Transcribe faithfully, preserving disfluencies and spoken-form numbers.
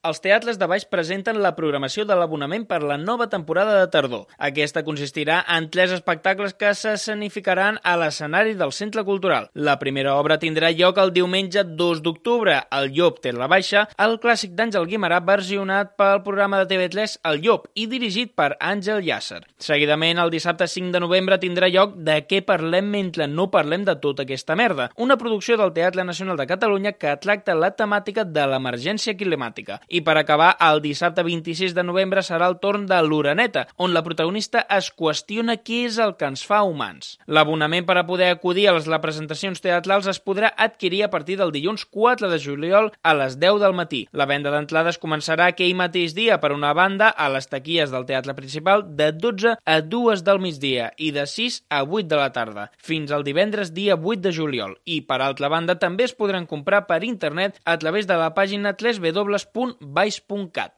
Els teatres de Baix presenten la programació de l'abonament per la nova temporada de tardor. Aquesta consistirà en tres espectacles que s'escenificaran a l'escenari del Centre Cultural. La primera obra tindrà lloc el diumenge dos d'octubre. El Llop té la baixa, el clàssic d'Àngel Guimerà versionat pel programa de T V tres El Llop i dirigit per Àngel Llàcer. Seguidament, el dissabte cinc de novembre tindrà lloc De què parlem mentre no parlem de tota aquesta merda, una producció del Teatre Nacional de Catalunya que tracta la temàtica de l'emergència climàtica. I per acabar, el dissabte vint-i-sis de novembre serà el torn de l'Oreneta, on la protagonista es qüestiona què és el que ens fa humans. L'abonament per a poder acudir a les representacions teatrals es podrà adquirir a partir del dilluns quatre de juliol a les deu del matí. La venda d'entrades començarà aquell mateix dia, per una banda, a les taquilles del teatre principal de dotze a dues del migdia i de sis a vuit de la tarda, fins al divendres dia vuit de juliol. I, per altra banda, també es podran comprar per internet a través de la pàgina w w w punt baix punt cat.